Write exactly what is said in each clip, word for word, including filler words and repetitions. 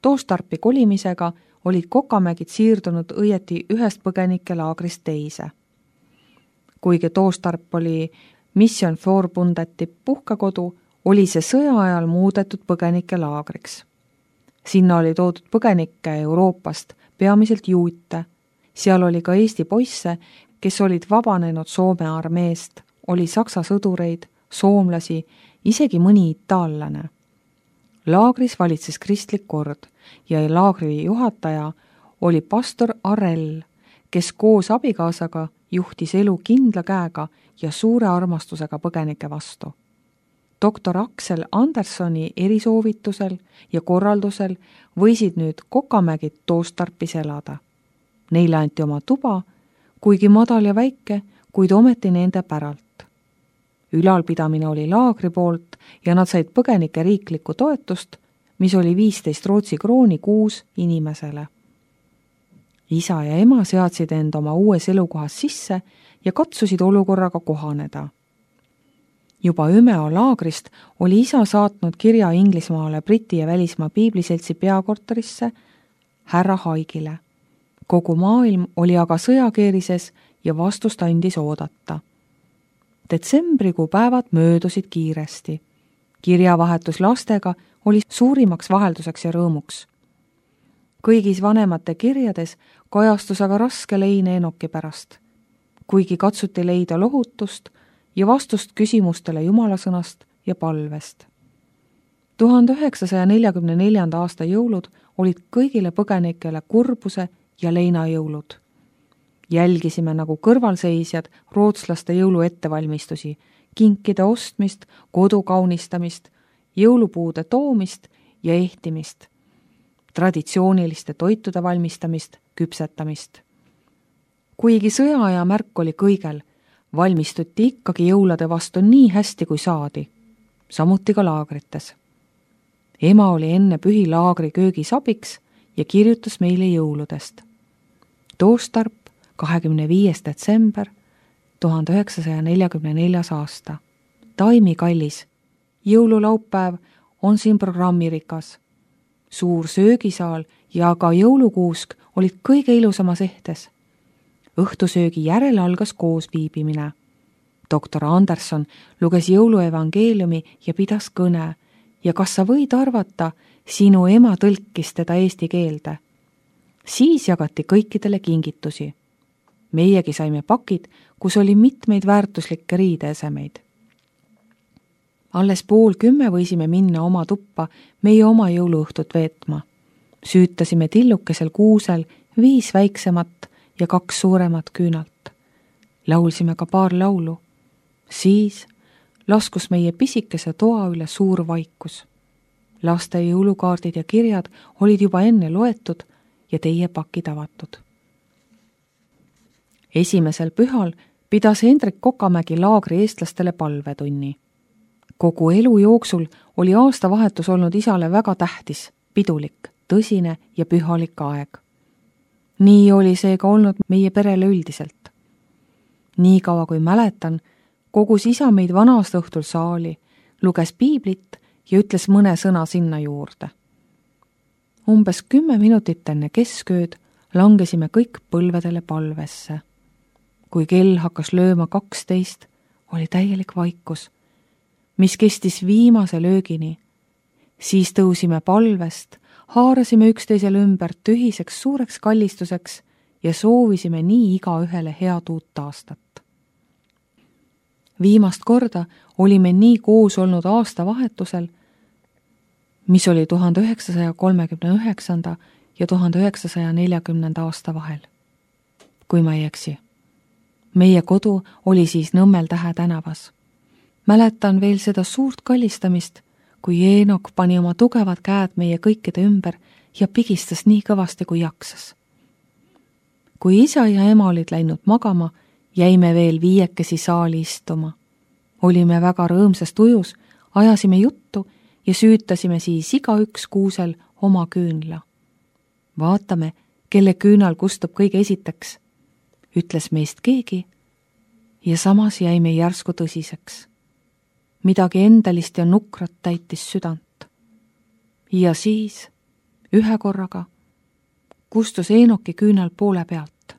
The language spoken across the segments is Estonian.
Toostarpi kolimisega olid Kokamägid siirdunud õieti ühest põgenikelaagrist teise. Kuigi Toostarp oli Mission Forbundeti puhkakodu, oli see sõja ajal muudetud põgenikelaagriks. Sinna oli toodud põgenikke Euroopast, peamiselt juute. Seal oli ka Eesti poisse, kes olid vabanenud Soome armeest, oli saksa sõdureid, soomlasi, isegi mõni itaallane. Laagris valitses kristlik kord ja laagri juhataja oli pastor Arell, kes koos abikaasaga juhtis elu kindla käega ja suure armastusega põgenike vastu. doktor Aksel Andersoni erisoovitusel ja korraldusel võisid nüüd Kokamägid Toostarpis elada. Neile anti oma tuba, kuigi madal ja väike, kuid ometi nende päralt. Ülalpidamine oli laagri poolt ja nad said põgenike riiklikku toetust, mis oli viisteist Rootsi krooni kuus inimesele. Isa ja ema seadsid end oma uues elukohas sisse ja katsusid olukorraga kohaneda. Juba Ümeo laagrist oli isa saatnud kirja Inglismaale Briti ja välismaa piibliseltsi peakorterisse härra Haigile. Kogu maailm oli aga sõjakeerises ja vastust andis oodata. Detsembrikuu päevad möödusid kiiresti. Kirjavahetus lastega oli suurimaks vahelduseks ja rõõmuks. Kõigis vanemate kirjades kajastus aga raske lein Enoki pärast. Kuigi katsuti leida lohutust ja vastust küsimustele jumalasõnast ja palvest. tuhande üheksasaja neljakümne neljanda aasta jõulud olid kõigile põgenikele kurbuse ja leinajõulud. Jälgisime nagu kõrvalseisjad rootslaste jõulu ettevalmistusi, kinkide ostmist, kodu kaunistamist, jõulupuude toomist ja ehtimist, traditsiooniliste toitude valmistamist, küpsetamist. Kuigi sõjaaja märk oli kõigel, valmistuti ikkagi jõulade vastu nii hästi kui saadi, samuti ka laagrites. Ema oli enne pühi laagri köögis abiks ja kirjutas meile jõuludest. Toostarp, kahekümne viies detsember, tuhande üheksasaja neljakümne neljas aasta. Taimi kallis, jõululaupäev on siin programmirikas. Suur söögisaal ja ka jõulukuusk olid kõige ilusamas ehtes. Õhtusöögi järel algas koos viibimine. doktor Anderson luges jõuluevangeeliumi ja pidas kõne ja kas sa võid arvata, sinu ema tõlkis teda eesti keelde. Siis jagati kõikidele kingitusi. Meiegi saime pakid, kus oli mitmeid väärtuslikke riideesemeid. Alles pool kümme võisime minna oma tuppa meie oma jõuluõhtut veetma. Süütasime tillukesel kuusel viis väiksemat ja kaks suuremat küünalt. Laulsime ka paar laulu. Siis laskus meie pisikese toa üle suur vaikus. Laste jõulukaardid ja kirjad olid juba enne loetud ja teie pakid avatud. Esimesel pühal pidas Hendrik Kokamägi laagri eestlastele palvetunni. Kogu elu jooksul oli aastavahetus olnud isale väga tähtis, pidulik, tõsine ja pühalik aeg. Nii oli see ka olnud meie perele üldiselt. Nii kaua kui mäletan, kogus isa meid vanast õhtul saali, luges piiblit ja ütles mõne sõna sinna juurde. Umbes kümme minutit enne keskööd langesime kõik põlvedele palvesse. Kui kell hakkas lööma kaksteist, oli täielik vaikus, mis kestis viimase löögini. Siis tõusime palvest, haarasime üksteisele ümber tühiseks suureks kallistuseks ja soovisime nii igaühele head uut aastat. Viimast korda olime nii koos olnud aastavahetusel, mis oli tuhande üheksasaja kolmekümne üheksanda ja tuhande üheksasaja neljakümnenda aasta vahel. Kui ma ei eksi. Meie kodu oli siis Nõmmel Tähe tänavas. Mäletan veel seda suurt kallistamist, kui Eenok pani oma tugevad käed meie kõikide ümber ja pigistas nii kõvasti kui jaksas. Kui isa ja ema olid läinud magama, jäime veel viiekesi saali istuma. Olime väga rõõmsast ujus, ajasime juttu ja süütasime siis igaüks kuusel oma küünla. Vaatame, kelle küünal kustub kõige esiteks, ütles meist keegi ja samas jäime järsku tõsiseks. Midagi endalist ja nukrat täitis südant. Ja siis ühe korraga kustus Eenoki küünal poole pealt.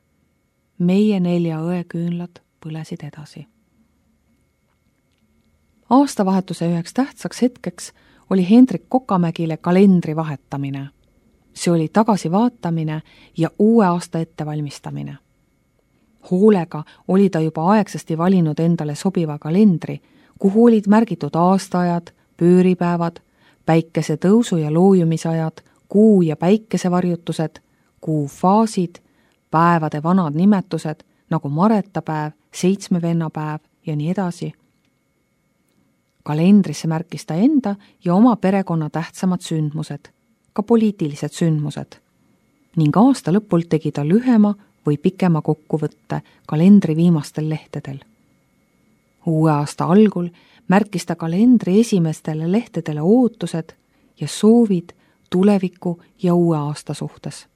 Meie nelja õe küünlad põlesid edasi. Aastavahetuse üheks tähtsaks hetkeks oli Hendrik Kokamägile kalendri vahetamine. See oli tagasivaatamine ja uue aasta ettevalmistamine. Hoolega oli ta juba aegsasti valinud endale sobiva kalendri, kuhu olid märgitud aastaajad, pööripäevad, päikese tõusu ja loojumisajad, kuu ja päikesevarjutused, kuu faasid, päevade vanad nimetused nagu maretapäev, seitsmevennapäev ja nii edasi. Kalendrisse märkis ta enda ja oma perekonna tähtsamad sündmused, ka poliitilised sündmused. Ning aasta lõpul tegi ta lühema või pikema kokkuvõtte kalendri viimastel lehtedel. Uue aasta algul märkis ta kalendri esimestele lehtedele ootused ja soovid tuleviku ja uue aasta suhtes.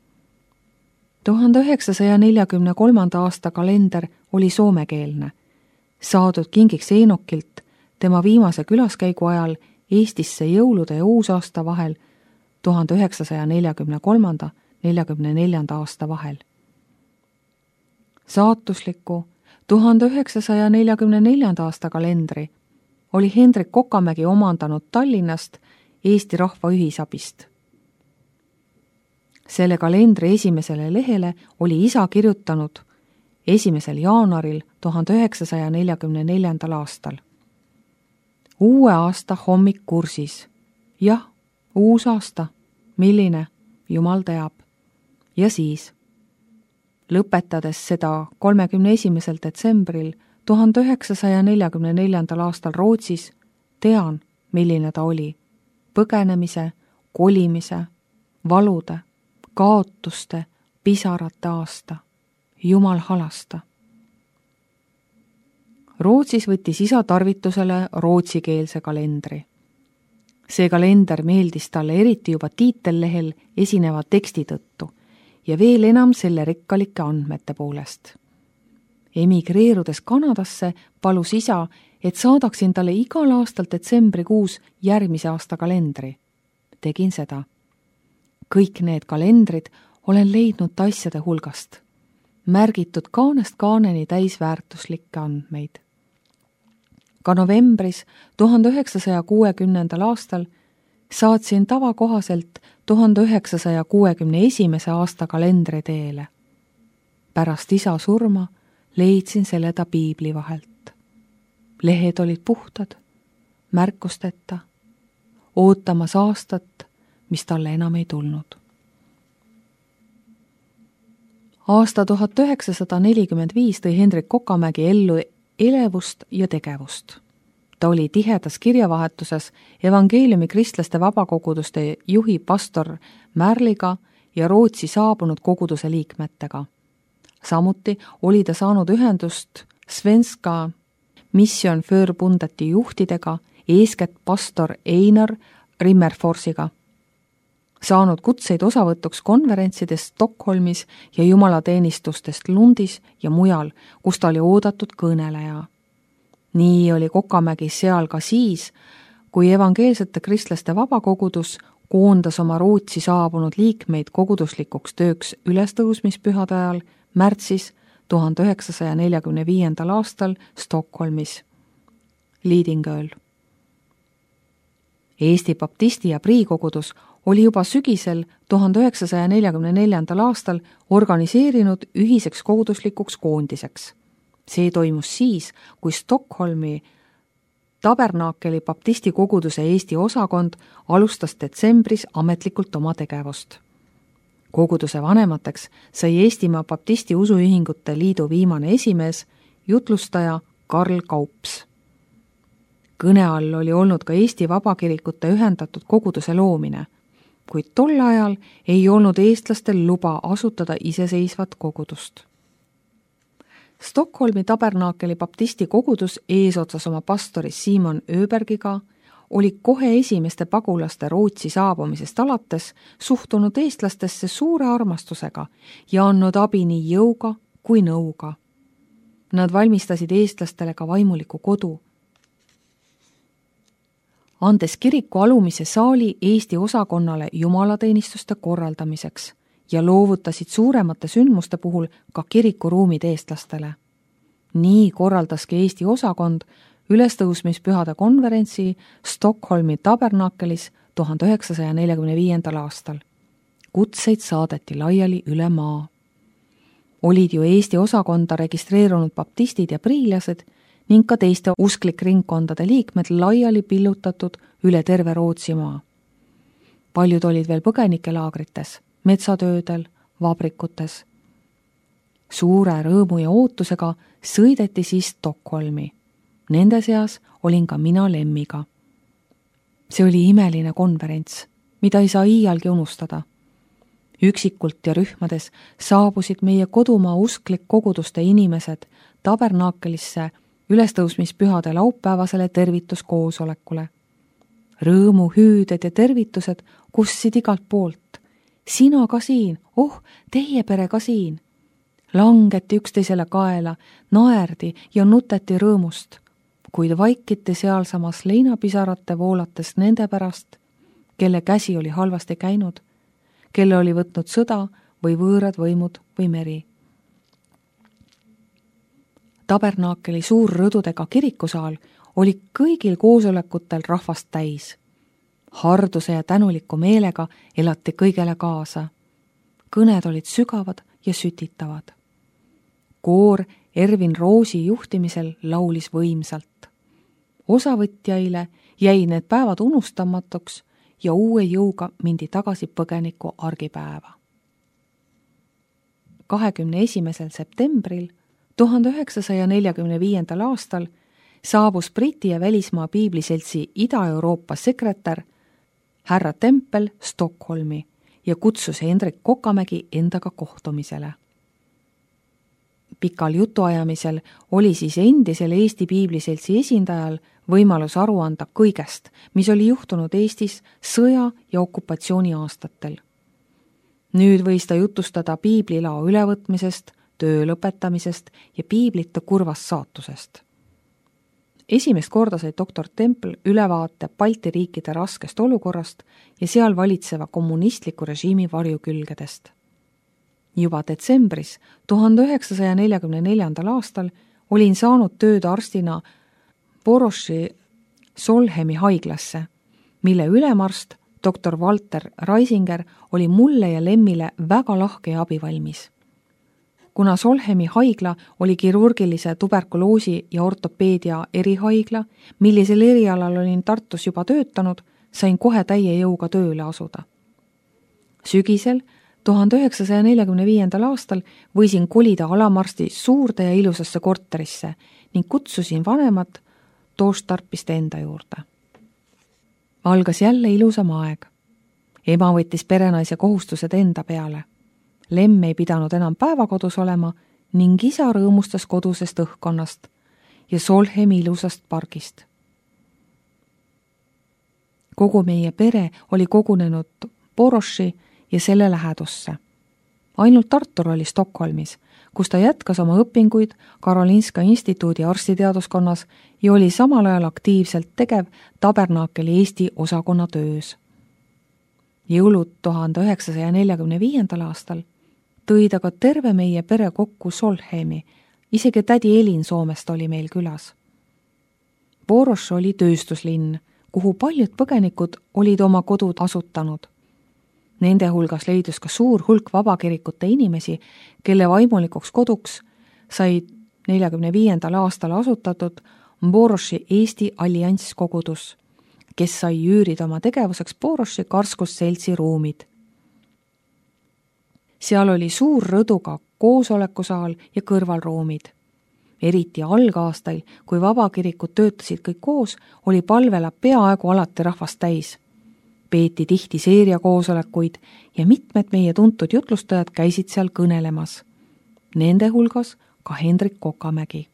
tuhande üheksasaja neljakümne kolmanda aasta kalender oli soomekeelne, saadud kingiks Eenokilt tema viimase külaskäigu ajal Eestisse jõulude ja uusaasta vahel tuhande üheksasaja neljakümne kolmanda neljakümne neljanda aasta vahel. Saatusliku tuhande üheksasaja neljakümne neljanda aasta kalendri oli Hendrik Kokamägi omandanud Tallinnast Eesti Rahva Ühisabist. Selle kalendri esimesele lehele oli isa kirjutanud esimesel jaanuaril tuhande üheksasaja neljakümne neljandal aastal. Uue aasta hommik kursis. Jah, uus aasta. Milline? Jumal teab. Ja siis, lõpetades seda kolmekümne esimesel detsembril tuhande üheksasaja neljakümne neljandal aastal Rootsis, tean, milline ta oli. Põgenemise, kolimise, valude, kaotuste, pisarate aasta. Jumal halasta. Rootsis võttis isa tarvitusele rootsikeelse kalendri. See kalender meeldis talle eriti juba tiitellehel esineva teksti tõttu ja veel enam selle rikkalike andmete poolest. Emigreerudes Kanadasse palus isa, et saadaksin talle igal aastal detsembrikuus järgmise aasta kalendri. Tegin seda. Kõik need kalendrid olen leidnud asjade hulgast. Märgitud kaanest kaaneni täisväärtuslikke andmeid. Ka novembris tuhande üheksasaja kuuekümnendal aastal saatsin tavakohaselt tuhande üheksasaja kuuekümne esimese aasta kalendri teele. Pärast isa surma leidsin selle ta piibli vahelt. Lehed olid puhtad, märkusteta, ootamas aastat, mis talle enam ei tulnud. Aasta tuhat üheksasada nelikümmend viis tõi Hendrik Kokamägi ellu elevust ja tegevust. Ta oli tihedas kirjavahetuses evangeeliumi kristlaste vabakoguduste juhi pastor Märliga ja Rootsi saabunud koguduse liikmetega. Samuti oli ta saanud ühendust Svenska Mission Förbundeti juhtidega, eeskätt pastor Einar Rimmerforsiga. Saanud kutseid osavõtuks konverentsidest Stockholmis ja jumalateenistustest Lundis ja mujal, kus ta oli oodatud kõneleja. Nii oli Kokamägi seal ka siis, kui evangeelsete kristlaste vabakogudus koondas oma Rootsi saabunud liikmeid koguduslikuks tööks ülestõusmispühade ajal märtsis tuhande üheksasaja neljakümne viiendal aastal Stockholmis. Lidingööl. Eesti baptisti ja priikogudus oli juba sügisel tuhande üheksasaja neljakümne neljandal aastal organiseerinud ühiseks koguduslikuks koondiseks. See toimus siis, kui Stockholmi Tabernaakeli baptisti koguduse Eesti osakond alustas detsembris ametlikult oma tegevust. Koguduse vanemateks sai Eestimaa baptisti usuühingute liidu viimane esimees, jutlustaja Karl Kaups. Kõne all oli olnud ka Eesti vabakirikute ühendatud koguduse loomine, kuid tol ajal ei olnud eestlastel luba asutada iseseisvat kogudust. Stockholmi Tabernaakeli baptisti kogudus eesotsas oma pastori Simon Öbergiga oli kohe esimeste pagulaste Rootsi saabumisest alates suhtunud eestlastesse suure armastusega ja andnud abi nii jõuga kui nõuga. Nad valmistasid eestlastele ka vaimuliku kodu. andes kiriku alumise saali Eesti osakonnale jumalateenistuste korraldamiseks ja loovutasid suuremate sündmuste puhul ka kirikuruumid eestlastele. Nii korraldaski Eesti osakond ülestõusmispühade konverentsi Stockholmi tabernakelis tuhande üheksasaja neljakümne viiendal aastal. Kutseid saadeti laiali üle maa. Olid ju Eesti osakonda registreerunud baptistid ja priilased ning ka teiste usklikringkondade liikmed laiali pillutatud üle terve Rootsimaa. Paljud olid veel põgenikelaagrites, metsatöödel, vabrikutes. Suure rõõmu ja ootusega sõideti siis Stockholmi. Nende seas olin ka mina Lemmiga. See oli imeline konverents, mida ei saa iialgi unustada. Üksikult ja rühmades saabusid meie kodumaa usklik koguduste inimesed tabernaakelisse ülestõusmispühade laupäevasele tervituskoosolekule. Rõõmu hüüded ja tervitused kussid igalt poolt. Sina ka siin, oh, teie pere ka siin. Langeti üksteisele kaela, naerdi ja nuteti rõõmust, kuid vaikiti sealsamas leinapisarate voolates nende pärast, kelle käsi oli halvasti käinud, kelle oli võtnud sõda või võõrad võimud või meri. Tabernaakeli suur rõdudega kirikusaal oli kõigil koosolekutel rahvast täis. Harduse ja tänuliku meelega elati kõigele kaasa. Kõned olid sügavad ja sütitavad. Koor Ervin Roosi juhtimisel laulis võimsalt. Osavõtjaile jäi need päevad unustamatuks ja uue jõuga mindi tagasi põgeniku argipäeva. kahekümne esimesel septembril tuhande üheksasaja neljakümne viiendal aastal saabus Briti ja välismaa piibliseltsi Ida-Euroopa sekretär härra Tempel Stockholmi ja kutsus Hendrik Kokamägi endaga kohtumisele. Pikal jutuajamisel oli siis endisel Eesti piibliseltsi esindajal võimalus aru anda kõigest, mis oli juhtunud Eestis sõja ja okupatsiooni aastatel. Nüüd võis ta jutustada piiblilao ülevõtmisest, töö lõpetamisest ja piiblite kurvast saatusest. Esimest korda sai doktor Tempel ülevaate Balti riikide raskest olukorrast ja seal valitseva kommunistliku režiimi varjukülgedest. Juba detsembris tuhande üheksasaja neljakümne neljandal aastal olin saanud tööd arstina Boroši Solhemi haiglasse, mille ülemarst doktor Walter Reisinger oli mulle ja Lemmile väga lahke ja abivalmis. Kuna Solhemi haigla oli kirurgilise tuberkuloosi ja ortopeedia erihaigla, millisel erialal olin Tartus juba töötanud, sain kohe täie jõuga tööle asuda. Sügisel tuhande üheksasaja neljakümne viiendal aastal võisin kolida alamarsti suurde ja ilusasse korterisse ning kutsusin vanemat Toostarpist enda juurde. Algas jälle ilusam aeg. Ema võttis perenaise kohustused enda peale. Lemm ei pidanud enam päevakodus olema ning isa rõõmustas kodusest õhkkonnast ja Solhemi ilusast pargist. Kogu meie pere oli kogunenud Boroši ja selle lähedusse. Ainult Artur oli Stockholmis, kus ta jätkas oma õpinguid Karolinska instituudi arstiteaduskonnas ja oli samal ajal aktiivselt tegev tabernaakeli Eesti osakonna töös. Jõulud tuhande üheksasaja neljakümne viiendal aastal tõi ta ka terve meie pere kokku Solhemi, isegi tädi Elin Soomest oli meil külas. Boroš oli tööstuslinn, kuhu paljud põgenikud olid oma kodud asutanud. Nende hulgas leidus ka suur hulk vabakirikute inimesi, kelle vaimulikuks koduks sai neljakümne viiendal aastal asutatud Boroši Eesti allianskogudus, kes sai üürida oma tegevuseks Boroši karskusseltsi ruumid. Seal oli suur rõduga koosolekusaal ja kõrvalruumid. Eriti algaastail, kui vabakirikud töötasid kõik koos, oli palvela peaaegu alati rahvast täis. Peeti tihti seeria koosolekuid ja mitmed meie tuntud jutlustajad käisid seal kõnelemas. Nende hulgas ka Hendrik Kokamägi.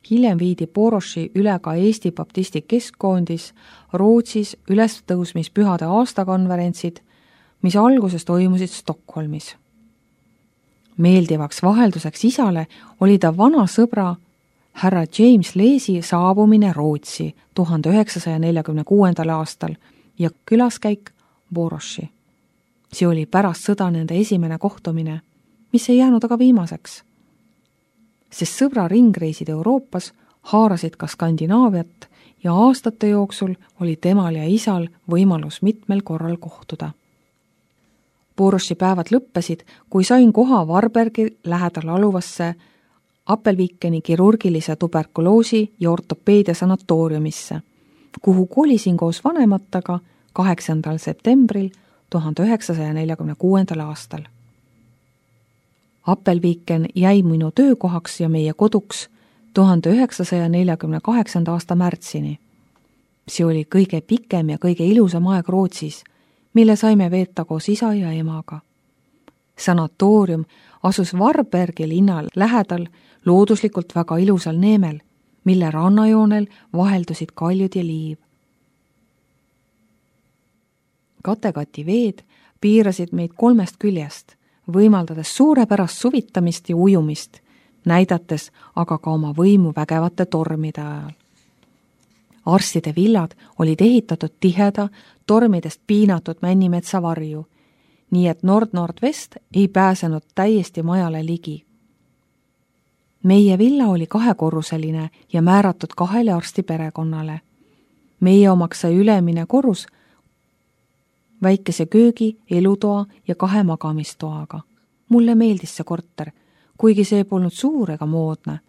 Hiljem viidi Boroši üle ka Eesti baptisti keskkoondis Rootsis ülestõusmispühade aastakonverentsid, mis alguses toimusid Stockholmis. Meeldivaks vahelduseks isale oli ta vana sõbra härra James Leesi saabumine Rootsi tuhande üheksasaja neljakümne kuuendal aastal ja külaskäik Boroši. See oli pärast sõda nende esimene kohtumine, mis ei jäänud aga viimaseks. Sest sõbra ringreisid Euroopas haarasid ka Skandinaaviat ja aastate jooksul oli temal ja isal võimalus mitmel korral kohtuda. Boroši päevad lõppesid, kui sain koha Varbergi lähedal aluvasse Appelvikeni kirurgilise tuberkuloosi ja ortopeedia sanatooriumisse, kuhu kolisin koos vanemataga kaheksandal septembril tuhande üheksasaja neljakümne kuuendal aastal. Appelviken jäi minu töökohaks ja meie koduks tuhande üheksasaja neljakümne kaheksanda aasta märtsini. See oli kõige pikem ja kõige ilusam aeg Rootsis, mille saime veeta koos isa ja emaga. Sanatoorium asus Varbergi linna lähedal looduslikult väga ilusal neemel, mille rannajoonel vaheldusid kaljud ja liiv. Katekati veed piirasid meid kolmest küljest, võimaldades suurepärast suvitamist ja ujumist, näidates aga ka oma võimu vägevate tormide ajal. Arstide villad olid ehitatud tiheda, tormidest piinatud Männimetsa varju, nii et Nord-Nord-Vest ei pääsenud täiesti majale ligi. Meie villa oli kahekorruseline ja määratud kahele arsti perekonnale. Meie omaks sai ülemine korrus väikese köögi, elutoa ja kahe magamistoaga. Mulle meeldis see korter, kuigi see polnud suur ega moodne.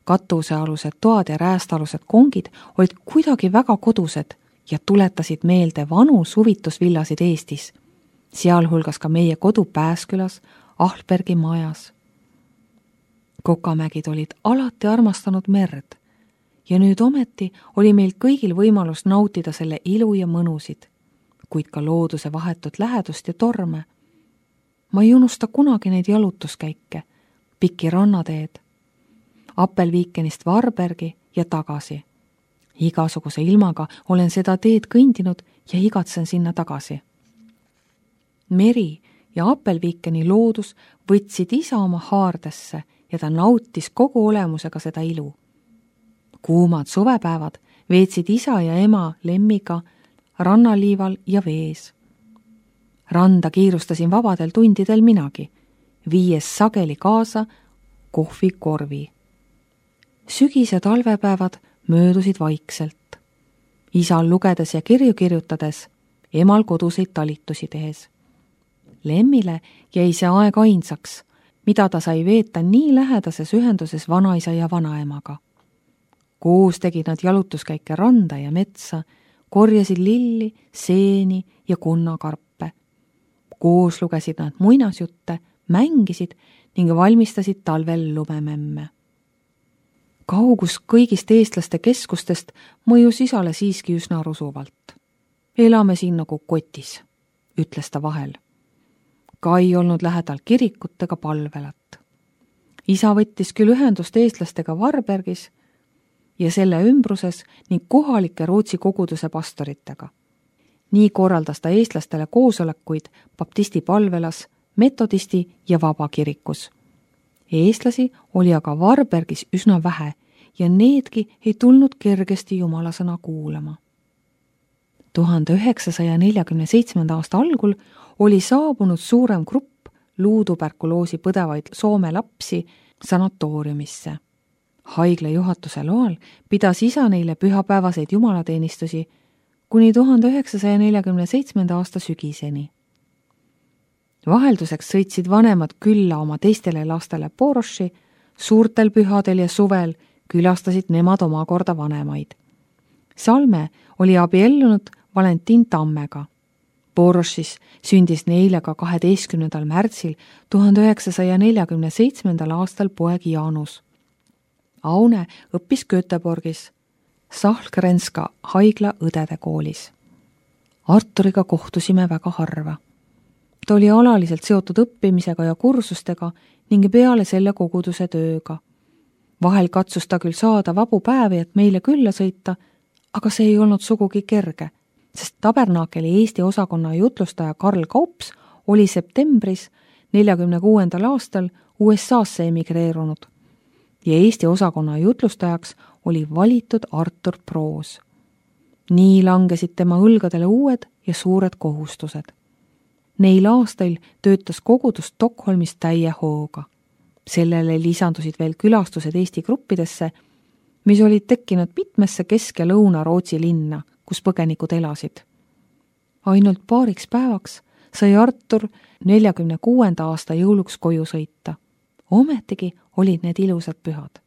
Katusealused toad ja räästalused kongid olid kuidagi väga kodused ja tuletasid meelde vanu suvitusvillasid Eestis, sealhulgas ka meie kodu Pääskülas, Ahlbergi majas. Kokamägid olid alati armastanud merd ja nüüd ometi oli meil kõigil võimalus nautida selle ilu ja mõnusid, kuid ka looduse vahetut lähedust ja torme. Ma ei unusta kunagi neid jalutuskäike, pikki rannateed, Appelvikenist Varbergi ja tagasi. Igasuguse ilmaga olen seda teed kõndinud ja igatsen sinna tagasi. Meri ja Appelvikeni loodus võtsid isa oma haardesse ja ta nautis kogu olemusega seda ilu. Kuumad suvepäevad veetsid isa ja ema Lemmiga rannaliival ja vees. Randa kiirustasin vabadel tundidel minagi, viies sageli kaasa kohvikorvi. Sügis- ja talvepäevad möödusid vaikselt. Isal lugedes ja kirju kirjutades, emal koduseid talitusi tehes. Lemmile jäi see aeg ainsaks, mida ta sai veeta nii lähedases ühenduses vanaisa ja vanaemaga. Koos tegid nad jalutuskäike randa ja metsa, korjasid lilli, seeni ja kunnakarpe. Koos lugesid nad muinasjutte, mängisid ning valmistasid talvel lumememme. Kaugus kõigist eestlaste keskustest mõjus isale siiski üsna rusuvalt. Elame siin nagu kotis, ütles ta vahel. Ka ei olnud lähedal kirikut ega palvelat. Isa võttis küll ühendust eestlastega Varbergis ja selle ümbruses ning kohalike Rootsi koguduse pastoritega. Nii korraldas ta eestlastele koosolekuid baptisti palvelas, metodisti ja vabakirikus. Eestlasi oli aga Varbergis üsna vähe ja needki ei tulnud kergesti jumalasõna kuulama. tuhande üheksasaja neljakümne seitsmenda aasta algul oli saabunud suurem grupp luutuberkuloosi põdevaid Soome lapsi sanatooriumisse. Haigla juhatuse loal pidas isa neile pühapäevaseid jumalateenistusi kuni tuhande üheksasaja neljakümne seitsmenda aasta sügiseni. Vahelduseks sõitsid vanemad külla oma teistele lastele Boroši, suurtel pühadel ja suvel külastasid nemad omakorda vanemaid. Salme oli abiellunud Valentin Tammega. Borošis sündis neile ka kaheteistkümnendal märtsil tuhande üheksasaja neljakümne seitsmendal aastal poeg Jaanus. Aune õppis Göteborgis, Sahlgrenska haigla õdede koolis. Arturiga kohtusime väga harva. Ta oli alaliselt seotud õppimisega ja kursustega ning peale selle koguduse tööga. Vahel katsus ta küll saada vabu päevi, et meile külla sõita, aga see ei olnud sugugi kerge, sest Tabernakeli Eesti osakonna jutlustaja Karl Kaups oli septembris neljakümne kuuendal aastal U S A-sse emigreerunud. ja Eesti osakonna jutlustajaks oli valitud Artur Proos. Nii langesid tema õlgadele uued ja suured kohustused. Neil aastail töötas kogudus Stockholmis täie hooga. Sellele lisandusid veel külastused Eesti gruppidesse, mis olid tekkinud mitmesse Kesk- ja Lõuna-Rootsi linna, kus põgenikud elasid. Ainult paariks päevaks sai Artur neljakümne kuuenda aasta jõuluks koju sõita. Ometigi olid need ilusad pühad.